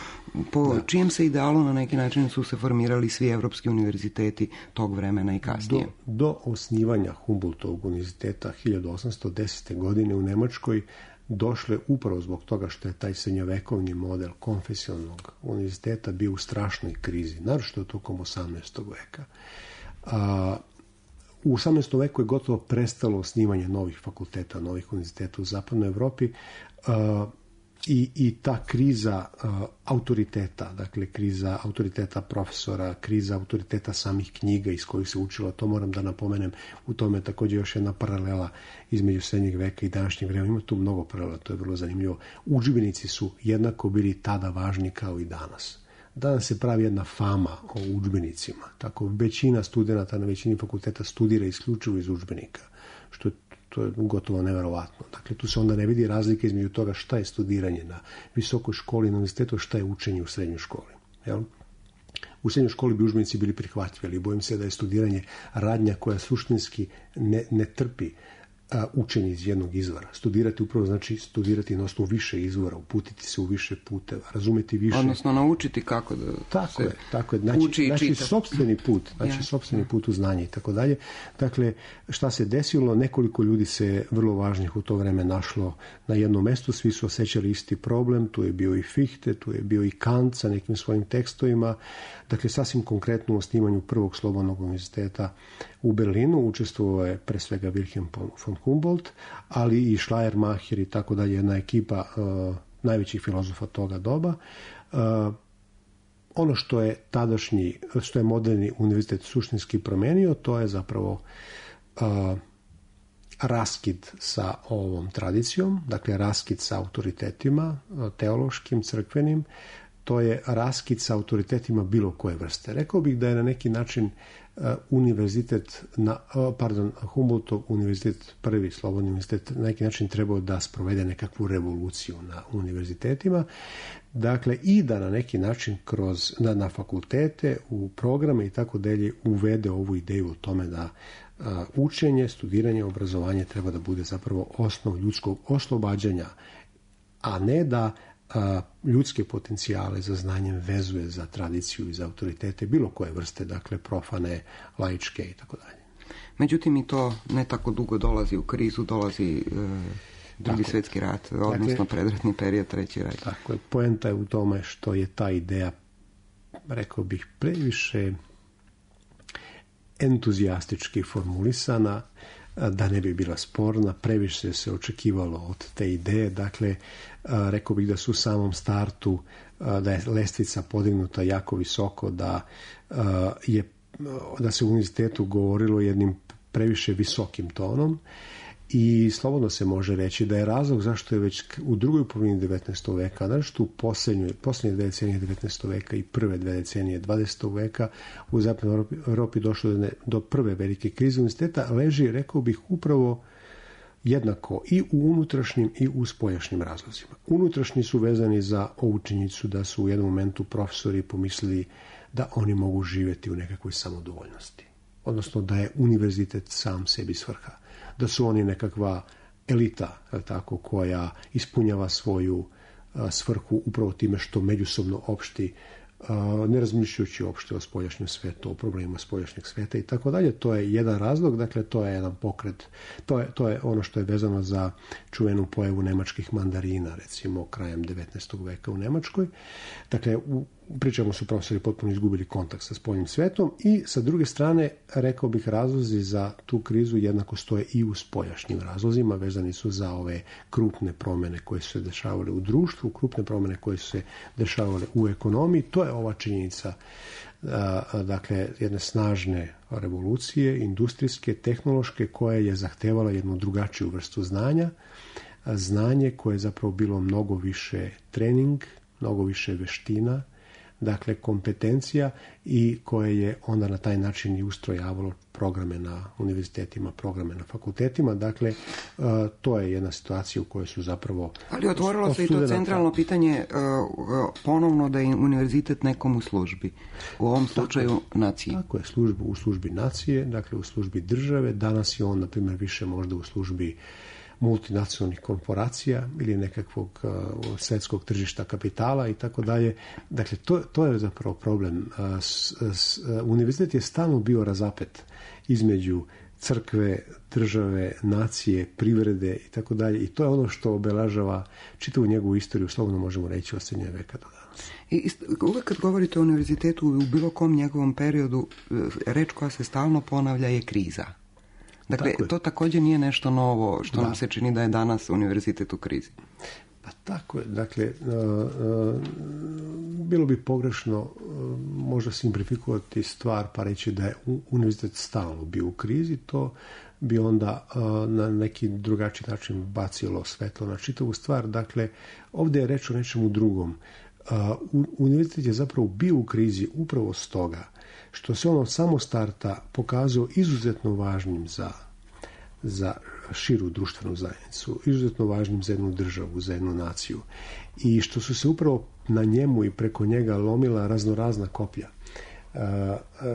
po čijem se idealu na neki način su se formirali svi evropski univerziteti tog vremena i kasnije. Do osnivanja Humboldtovog univerziteta 1810. godine u Nemačkoj došle upravo zbog toga što je taj srednjovekovni model konfesionalnog univerziteta bio u strašnoj krizi, naročito tokom 18. veka. U 18. veku je gotovo prestalo osnivanje novih fakulteta, novih univerziteta u zapadnoj Evropi i ta kriza autoriteta, dakle kriza autoriteta profesora, kriza autoriteta samih knjiga iz kojih se učilo, to moram da napomenem, u tome je također još jedna paralela između srednjeg veka i današnjeg vremena. Ima tu mnogo paralela, to je vrlo zanimljivo. Udžbenici su jednako bili tada važni kao i danas. Danas se pravi jedna fama o udžbenicima. Tako većina studenata na većini fakulteta studira isključivo iz udžbenika, što to je gotovo neverovatno. Dakle, tu se onda ne vidi razlika između toga šta je studiranje na visokoj školi, na univerzitetu, šta je učenje u srednjoj školi. Jel? U srednjoj školi bi udžbenici bili prihvatljivi, ali bojim se da je studiranje radnja koja suštinski ne trpi učenje iz jednog izvora. Studirati upravo znači studirati na osnovu više izvora, uputiti se u više puteva, razumeti više. Odnosno naučiti kako da tako je. Znači sopstveni put, sopstveni put u znanje i tako dalje. Dakle, šta se desilo? Nekoliko ljudi se vrlo važnih u to vreme našlo na jednom mestu, svi su osjećali isti problem, tu je bio i Fichte, tu je bio i Kant sa nekim svojim tekstovima. Dakle, sasvim konkretno u osnivanju prvog slobodnog univerziteta u Berlinu učestvovao je pre svega Wilhelm von Humboldt, ali i Schleiermacher i tako dalje, jedna ekipa najvećih filozofa toga doba. Ono što je moderni univerzitet suštinski promenio, to je zapravo raskid sa ovom tradicijom, dakle raskid sa autoritetima teološkim, crkvenim, to je raskid sa autoritetima bilo koje vrste. Rekao bih da je na neki način Humboldtov univerzitet, prvi slobodni univerzitet, na neki način trebao da sprovede nekakvu revoluciju na univerzitetima, dakle i da na neki način na fakultete, u programe i tako dalje uvede ovu ideju o tome da učenje, studiranje, obrazovanje treba da bude zapravo osnov ljudskog oslobađanja, a ne da ljudske potencijale za znanjem vezuje za tradiciju i za autoritete bilo koje vrste, dakle profane, laičke i tako dalje. Međutim, i to ne tako dugo dolazi u krizu, dolazi drugi svjetski rat, odnosno predratni period, treći rat. Tako je, poenta je u tome što je ta ideja, rekao bih, previše entuzijastički formulisana, da ne bi bila sporna, previše se očekivalo od te ideje, dakle, rekao bih da su u samom startu, da je lestvica podignuta jako visoko, da se u univerzitetu govorilo jednim previše visokim tonom i slobodno se može reći da je razlog zašto je već u drugoj polovini 19. veka, naročito u posljednje dve decenije 19. veka i prve dve decenije 20. veka u zapadnoj Europi došlo do prve velike krize univerziteta, leži, rekao bih, upravo jednako i u unutrašnjim i u spoljašnjim razlozima. Unutrašnji su vezani za ovu činjenicu da su u jednom momentu profesori pomislili da oni mogu živjeti u nekakvoj samodovoljnosti. Odnosno da je univerzitet sam sebi svrha. Da su oni nekakva elita, tako, koja ispunjava svoju svrhu upravo time što međusobno opšti, ne razmišljajući uopšte o spoljašnjem svetu, o problemima spoljašnjeg sveta i tako dalje. To je jedan razlog, dakle to je jedan pokret, to je ono što je vezano za čuvenu pojavu nemačkih mandarina, recimo krajem 19. veka u Nemačkoj. Dakle, pričamo su profesori potpuno izgubili kontakt sa spoljnim svetom i sa druge strane, rekao bih, razlozi za tu krizu jednako stoje i u spoljašnjim razlozima, vezani su za ove krupne promjene koje su se dešavale u društvu, krupne promjene koje su se dešavale u ekonomiji. To je ova činjenica dakle jedne snažne revolucije, industrijske, tehnološke, koja je zahtevala jednu drugačiju vrstu znanja, znanje koje je zapravo bilo mnogo više trening, mnogo više veština, dakle kompetencija, i koje je onda na taj način i ustrojavalo programe na univerzitetima, programe na fakultetima. Dakle, to je jedna situacija u kojoj su zapravo... Ali otvorilo se i to centralno pitanje ponovno da je univerzitet nekom u službi. U ovom slučaju naciji. Tako je, u službi nacije, dakle u službi države. Danas je on, na primjer, više možda u službi multinacionalnih korporacija ili nekakvog svjetskog tržišta kapitala i tako dalje. Dakle, to je zapravo problem. Univerzitet je stalno bio razapet između crkve, države, nacije, privrede i tako dalje. I to je ono što obeležava čitavu njegovu istoriju, slobodno možemo reći, od srednjeg veka do danas. I uvek kad govorite o univerzitetu u bilo kom njegovom periodu, reč koja se stalno ponavlja je kriza. Dakle, to također nije nešto novo što nam se čini da je danas univerzitet u krizi. Pa tako je. Dakle, bilo bi pogrešno možda simplifikovati stvar pa reći da je univerzitet stalno bio u krizi. To bi onda na neki drugačiji način bacilo svetlo na čitavu stvar. Dakle, ovdje je reč o nečemu drugom. Univerzitet je zapravo bio u krizi upravo stoga što se on od samog starta pokazao izuzetno važnim za širu društvenu zajednicu, izuzetno važnim za jednu državu, za jednu naciju. I što su se upravo na njemu i preko njega lomila raznorazna koplja.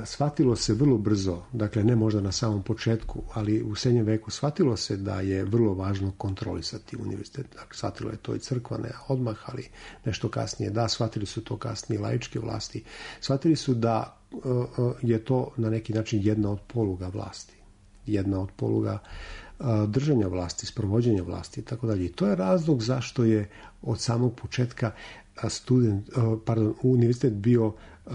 Shvatilo se vrlo brzo, dakle ne možda na samom početku, ali u srednjem veku shvatilo se da je vrlo važno kontrolisati univerzitet. Dakle, shvatilo je to i crkva, ne odmah, ali nešto kasnije. Da, shvatili su to kasnije laičke vlasti. Shvatili su da je to na neki način jedna od poluga vlasti. Jedna od poluga držanja vlasti, sprovođenja vlasti i tako dalje. I to je razlog zašto je od samog početka univerzitet bio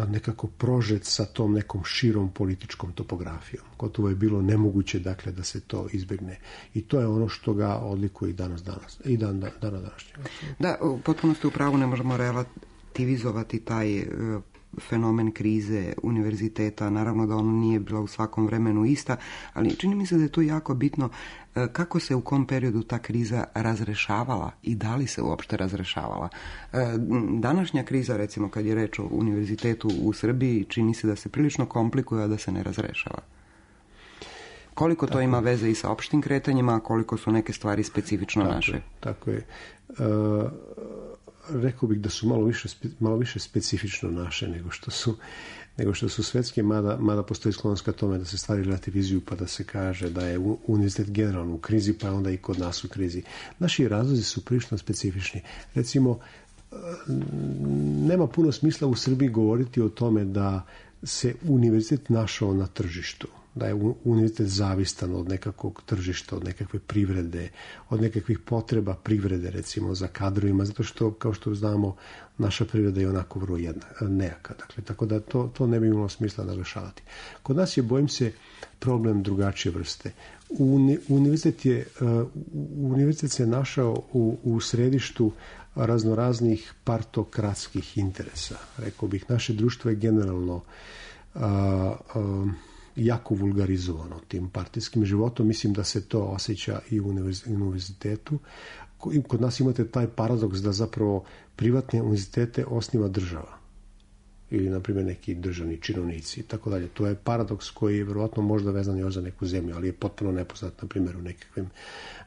nekako prožet sa tom nekom širom političkom topografijom. Gotovo je bilo nemoguće, dakle, da se to izbjegne. I to je ono što ga odlikuje i danas i dana današnjeg. Da, potpuno ste u pravu, ne možemo relativizovati taj fenomen krize univerziteta. Naravno da ona nije bila u svakom vremenu ista, ali čini mi se da je to jako bitno kako se u kom periodu ta kriza razrešavala i da li se uopšte razrešavala. Današnja kriza, recimo kad je reč o univerzitetu u Srbiji, čini se da se prilično komplikuje, a da se ne razrešava. Koliko to ima veze i sa opštim kretanjima, a koliko su neke stvari specifično naše? Tako je. Rekao bih da su malo više specifično naše nego što su svetske, mada postoji sklonost ka tome da se stvari relativizuju pa da se kaže da je univerzitet generalno u krizi, pa je onda i kod nas u krizi. Naši razlozi su prilično specifični. Recimo, nema puno smisla u Srbiji govoriti o tome da se univerzitet našao na tržištu, da je univerzitet zavistan od nekakvog tržišta, od nekakve privrede, od nekakvih potreba privrede, recimo, za kadrovima, zato što, kao što znamo, naša privreda je onako vrlo nejaka. Dakle, tako da to ne bi imalo smisla naglašavati. Kod nas je, bojim se, problem drugačije vrste. Univerzitet se našao u središtu raznoraznih partokratskih interesa. Rekao bih, naše društvo je generalno jako vulgarizovano tim partijskim životom. Mislim da se to osjeća i u univerzitetu. Kod nas imate taj paradoks da zapravo privatne univerzitete osniva država ili, na primjer, neki državni činovnici i tako dalje. To je paradoks koji je vjerojatno možda vezan još za neku zemlju, ali je potpuno nepoznat, na primjer, u nekakvim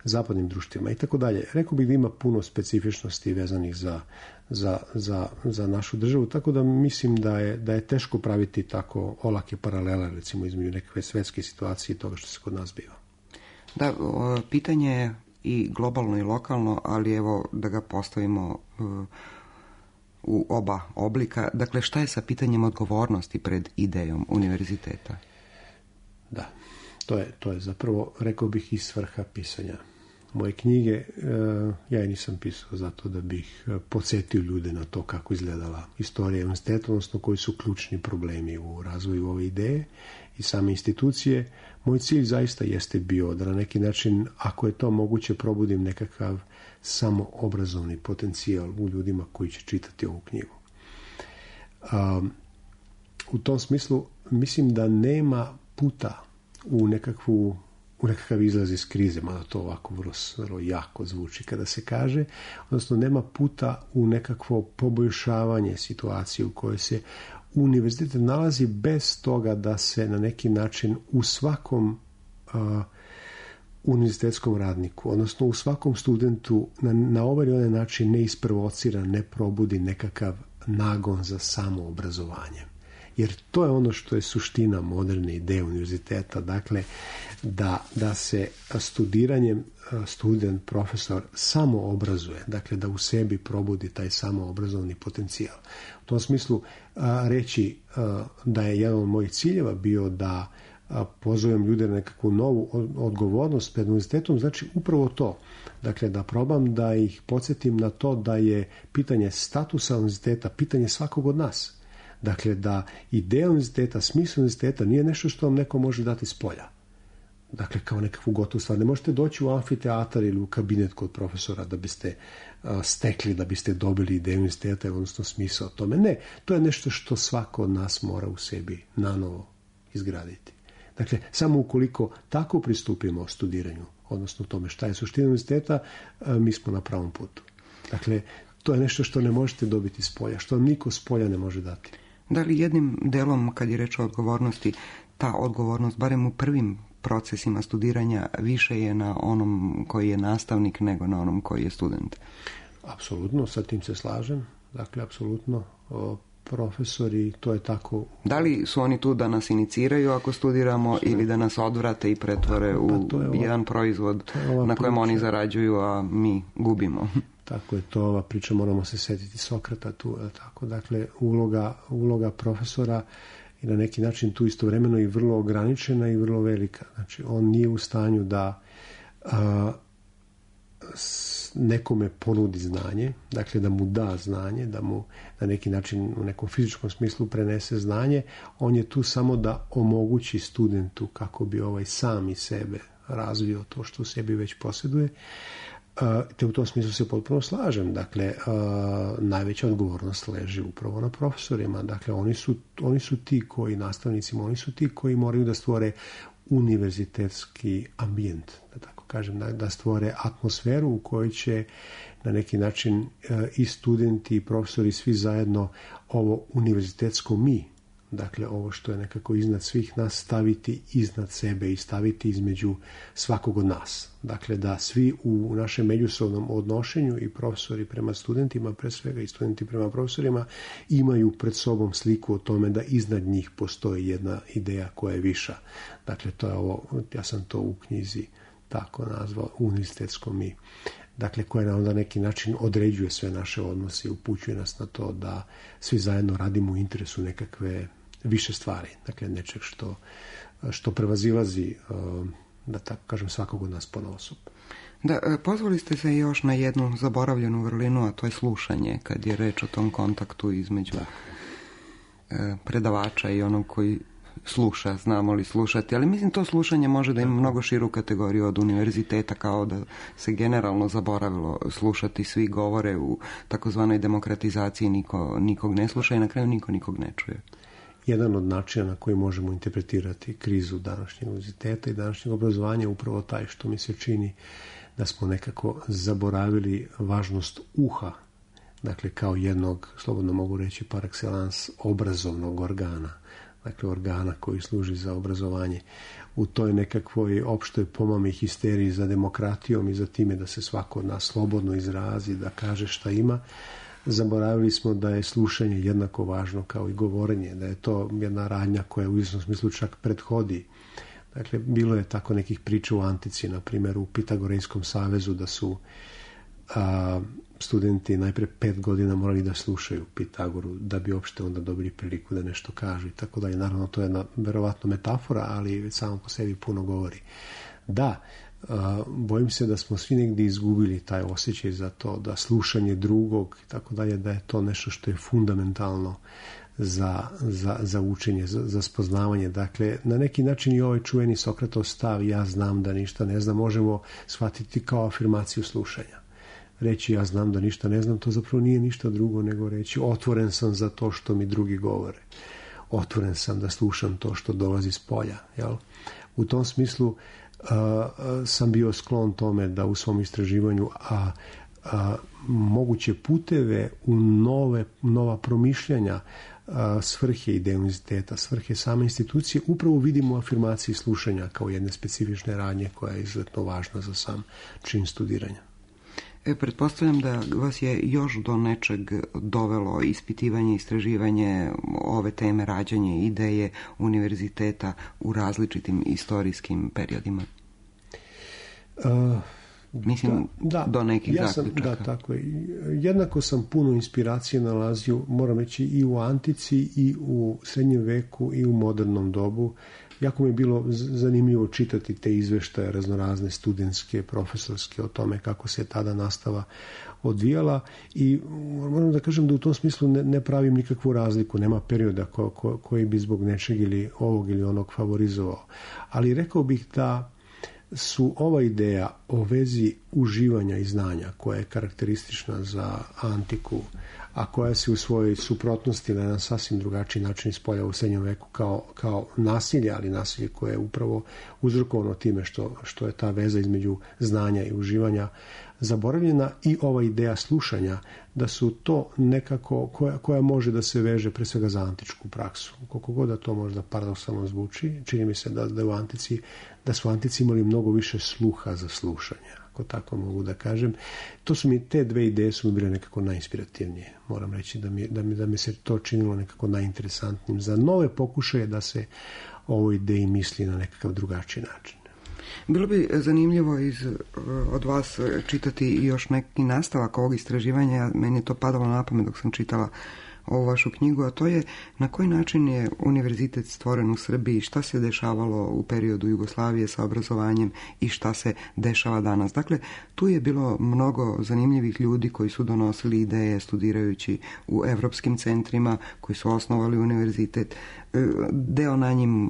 zapadnim društvima i tako dalje. Rekao bih da ima puno specifičnosti vezanih za našu državu, tako da mislim da je teško praviti tako olake paralele, recimo, između nekakve svetske situacije i toga što se kod nas biva. Da, pitanje je i globalno i lokalno, ali evo da ga postavimo u oba oblika. Dakle, šta je sa pitanjem odgovornosti pred idejom univerziteta? Da, to je zapravo, rekao bih, i svrha pisanja moje knjige. Ja je nisam pisao zato da bih podsjetio ljude na to kako izgledala istorija univerziteta, odnosno koji su ključni problemi u razvoju ove ideje i same institucije. Moj cilj zaista jeste bio da na neki način, ako je to moguće, probudim nekakav samoobrazovni potencijal u ljudima koji će čitati ovu knjigu. u tom smislu mislim da nema puta u nekakav izlaz iz krize, mada to ovako vrlo jako zvuči kada se kaže, odnosno nema puta u nekakvo poboljšavanje situacije u kojoj se univerzitet nalazi bez toga da se na neki način u svakom univerzitetskom radniku, odnosno u svakom studentu na ovaj ili onaj način ne isprovocira, ne probudi nekakav nagon za samoobrazovanje. Jer to je ono što je suština moderne ideje univerziteta, dakle da se studiranjem student, profesor samo obrazuje, dakle da u sebi probudi taj samoobrazovni potencijal. U tom smislu reći da je jedan od mojih ciljeva bio da pozovem ljude na nekakvu novu odgovornost pred univerzitetom, znači upravo to. Dakle, da probam da ih podsjetim na to da je pitanje statusa univerziteta pitanje svakog od nas. Dakle, da ideja univerziteta, smisao univerziteta nije nešto što vam neko može dati s polja. Dakle, kao nekakvu gotovu stvar. Ne možete doći u amfiteatar ili u kabinet kod profesora da biste stekli, da biste dobili ideju univerziteta, odnosno smisao tome. Ne, to je nešto što svako od nas mora u sebi nanovo izgraditi. Dakle, samo ukoliko tako pristupimo studiranju, odnosno tome šta je suština univerziteta, mi smo na pravom putu. Dakle, to je nešto što ne možete dobiti s polja, što vam niko s polja ne može dati. Da li jednim delom, kad je reč o odgovornosti, ta odgovornost, barem u prvim procesima studiranja, više je na onom koji je nastavnik nego na onom koji je student? Apsolutno, sa tim se slažem. Dakle, apsolutno, profesori, to je tako. Da li su oni tu da nas iniciraju ako studiramo ili da nas odvrate i pretvore u jedan proizvod na kojem oni zarađuju, a mi gubimo? Tako je to ova priča, moramo se setiti Sokrata tu, tako. Dakle, uloga profesora je na neki način tu istovremeno i vrlo ograničena i vrlo velika. Znači, on nije u stanju da nekome ponudi znanje, dakle da mu da znanje, da mu na neki način u nekom fizičkom smislu prenese znanje. On je tu samo da omogući studentu kako bi sam iz sebe razvio to što u sebi već posjeduje. Te u tom smislu se potpuno slažem. Dakle, najveća odgovornost leži upravo na profesorima. Dakle, oni su ti koji, nastavnicima, oni su ti koji moraju da stvore univerzitetski ambijent, da tako kažem, da stvore atmosferu u kojoj će na neki način i studenti i profesori svi zajedno ovo univerzitetsko mi, dakle ovo što je nekako iznad svih nas, staviti iznad sebe i staviti između svakog od nas. Dakle, da svi u našem međusobnom odnošenju i profesori prema studentima, pre svega i studenti prema profesorima, imaju pred sobom sliku o tome da iznad njih postoji jedna ideja koja je viša. Dakle, to je ovo, ja sam to u knjizi tako nazvao, univerzitetsko mi. Dakle, koje na onda neki način određuje sve naše odnose i upućuje nas na to da svi zajedno radimo u interesu nekakve više stvari. Dakle, nečeg što prevazilazi, da tako kažem, svakog od nas ponaosob. Da, pozvali ste se još na jednu zaboravljenu vrlinu, a to je slušanje, kad je reč o tom kontaktu između predavača i onog koji sluša, znamo li slušati, ali mislim to slušanje može da ima mnogo širu kategoriju od univerziteta, kao da se generalno zaboravilo slušati, svi govore u takozvanoj demokratizaciji, nikog ne sluša i na kraju niko nikog ne čuje. Jedan od načina na koji možemo interpretirati krizu današnjeg univerziteta i današnjeg obrazovanja je upravo taj što mi se čini da smo nekako zaboravili važnost uha, dakle kao jednog, slobodno mogu reći par excellence, obrazovnog organa. Dakle, organa koji služi za obrazovanje. U toj nekakvoj opštoj pomami histeriji za demokratijom i za time da se svako od nas slobodno izrazi, da kaže šta ima, zaboravili smo da je slušanje jednako važno kao i govorenje, da je to jedna radnja koja u izvjesnom smislu čak prethodi. Dakle, bilo je tako nekih priča u antici, na primjer u Pitagorejskom savezu, da su studenti najpre 5 godina morali da slušaju Pitagoru da bi uopšte onda dobili priliku da nešto kažu i tako dalje. Naravno, to je jedna verovatno metafora, ali već samo po sebi puno govori. Da, bojim se da smo svi negdje izgubili taj osjećaj za to, da drugog i tako dalje, da je to nešto što je fundamentalno za učenje, za spoznavanje. Dakle, na neki način i ovaj čuveni Sokratov stav, ja znam da ništa ne znam, možemo shvatiti kao afirmaciju slušanja. Reći ja znam da ništa ne znam, to zapravo nije ništa drugo nego reći otvoren sam za to što mi drugi govore. otvoren sam da slušam to što dolazi s polja. Jel? U tom smislu sam bio sklon tome da u svom istraživanju moguće puteve u nova promišljanja svrhe ideje univerziteta, svrhe same institucije, upravo vidimo u afirmaciji slušanja kao jedne specifične radnje koja je izuzetno važna za sam čin studiranja. Pretpostavljam da vas je još do nečeg dovelo ispitivanje, istraživanje ove teme, rađanje ideje univerziteta u različitim istorijskim periodima. Mislim, do nekih zaključaka. Da, tako je. Jednako sam puno inspiracije nalazio, moram reći, i u antici, i u srednjem veku, i u modernom dobu. Jako mi je bilo zanimljivo čitati te izveštaje raznorazne studentske, profesorske o tome kako se tada nastava odvijala i moram da kažem da u tom smislu ne pravim nikakvu razliku, nema perioda koji bi zbog nečeg ili ovog ili onog favorizovao. Ali rekao bih da su ova ideja o vezi uživanja i znanja koja je karakteristična za antiku, a koja se u svojoj suprotnosti na jedan sasvim drugačiji način ispoljava u srednjem veku kao nasilje, ali nasilje koje je upravo uzrokovano time što je ta veza između znanja i uživanja zaboravljena, i ova ideja slušanja, da su to nekako koja može da se veže pre svega za antičku praksu. Koliko god da to možda paradoksalno zvuči, čini mi se da su antici imali mnogo više sluha za slušanje, ako tako mogu da kažem. Te dve ideje su mi bile nekako najinspirativnije. Moram reći da mi se to činilo nekako najinteresantnijim za nove pokušaje da se o ovoj ideji misli na nekakav drugačiji način. Bilo bi zanimljivo od vas čitati još neki nastavak ovog istraživanja. Meni je to padalo na pamet dok sam čitala ovu vašu knjigu, a to je na koji način je univerzitet stvoren u Srbiji, šta se dešavalo u periodu Jugoslavije sa obrazovanjem i šta se dešava danas. Dakle, tu je bilo mnogo zanimljivih ljudi koji su donosili ideje studirajući u evropskim centrima, koji su osnovali univerzitet. Deo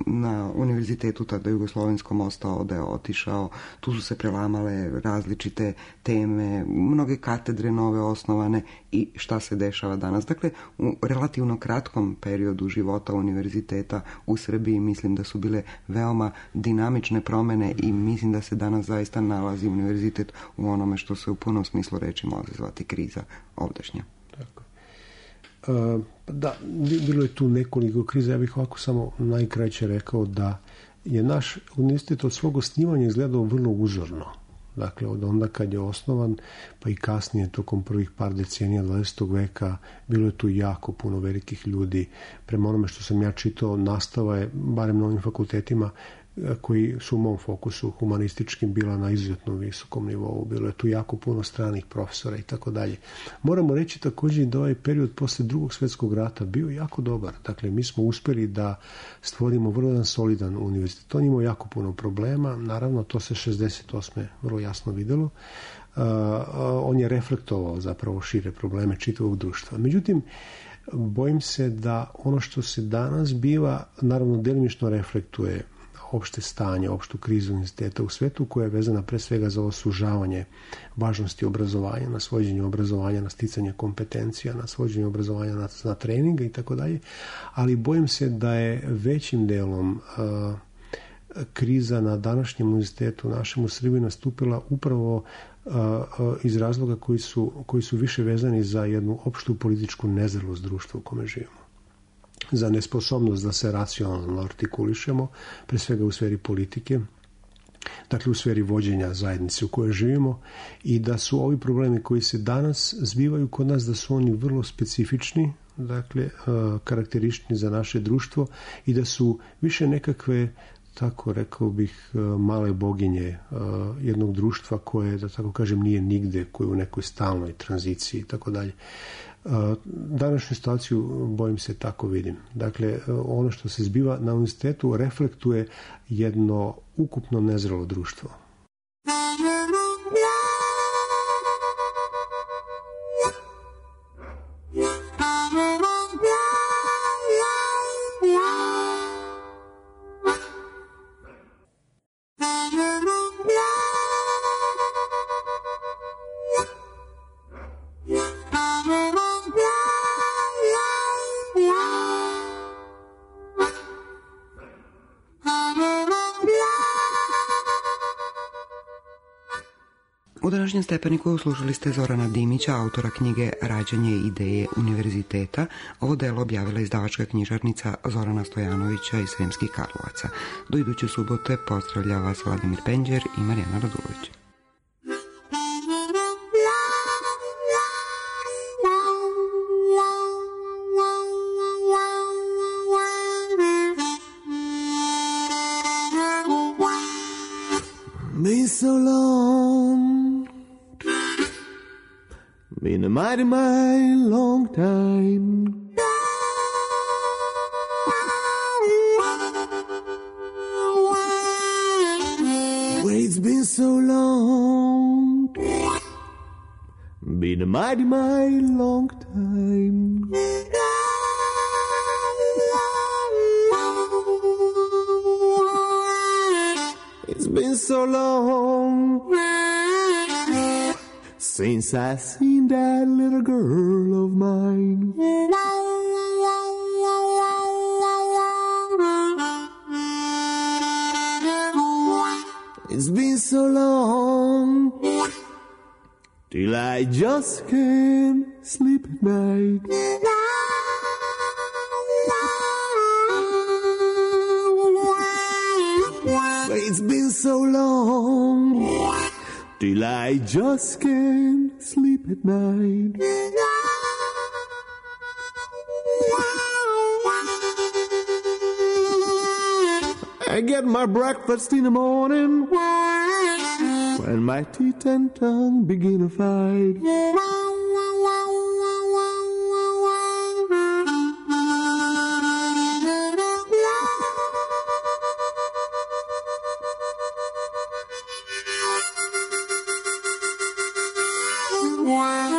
na univerzitetu tada jugoslovenskom ostao, deo otišao, tu su se prelamale različite teme, mnoge katedre nove osnovane i šta se dešava danas. Dakle, u relativno kratkom periodu života univerziteta u Srbiji mislim da su bile veoma dinamične promene i mislim da se danas zaista nalazi univerzitet u onome što se u punom smislu reči može zvati kriza ovdašnja. Tako. Da, bilo je tu nekoliko kriza. Ja bih ovako samo najkraće rekao da je naš univerzitet od svog osnivanja izgledao vrlo uzorno. Dakle, od onda kad je osnovan, pa i kasnije, tokom prvih par decenija 20. veka, bilo je tu jako puno velikih ljudi. Prema onome što sam ja čitao, nastava je, barem na ovim fakultetima, koji su u mom fokusu humanističkim, bila na izuzetno visokom nivou. Bilo je tu jako puno stranih profesora i tako dalje. Moramo reći također da ovaj period posle Drugog svjetskog rata bio jako dobar. Dakle, mi smo uspjeli da stvorimo vrlo jedan solidan univerzitet. On imao jako puno problema. Naravno, to se 68. vrlo jasno vidjelo. On je reflektovao zapravo šire probleme čitavog društva. Međutim, bojim se da ono što se danas biva, naravno, delimično reflektuje opšte stanje, opštu krizu univerziteta u svetu, koja je vezana pre svega za ovo sužavanje važnosti obrazovanja, na svođenje obrazovanja, na sticanje kompetencija, na svođenje obrazovanja na treninga i tako dalje, ali bojim se da je većim delom kriza na današnjem univerzitetu našem u Srbiji nastupila upravo iz razloga koji su više vezani za jednu opštu političku nezrelost društva u kome živimo. Za nesposobnost da se racionalno artikulišemo, pre svega u sferi politike, dakle u sferi vođenja zajednice u kojoj živimo, i da su ovi problemi koji se danas zbivaju kod nas, da su oni vrlo specifični, dakle karakteristični za naše društvo, i da su više nekakve, tako rekao bih, male boginje jednog društva koje, da tako kažem, nije nigde, koje je u nekoj stalnoj tranziciji i tako dalje. Današnju situaciju, bojim se, tako vidim. Dakle, ono što se zbiva na univerzitetu reflektuje jedno ukupno nezrelo društvo. U današnjem Stepeniku slušali ste Zorana Dimića, autora knjige Rađanje ideje univerziteta. Ovo delo objavila izdavačka knjižarnica Zorana Stojanovića iz Sremskih Karlovaca. Do iduće subote pozdravlja vas Vladimir Penđer i Marijana Radulović. Been so long, been a mighty, mighty long time. Wait's been so long, been a mighty, mighty long time. It's been so long since I seen that little girl of mine. It's been so long till I just can't sleep at night. It's been so long till I just can't sleep at night. I get my breakfast in the morning when my teeth and tongue begin to fight. Wow.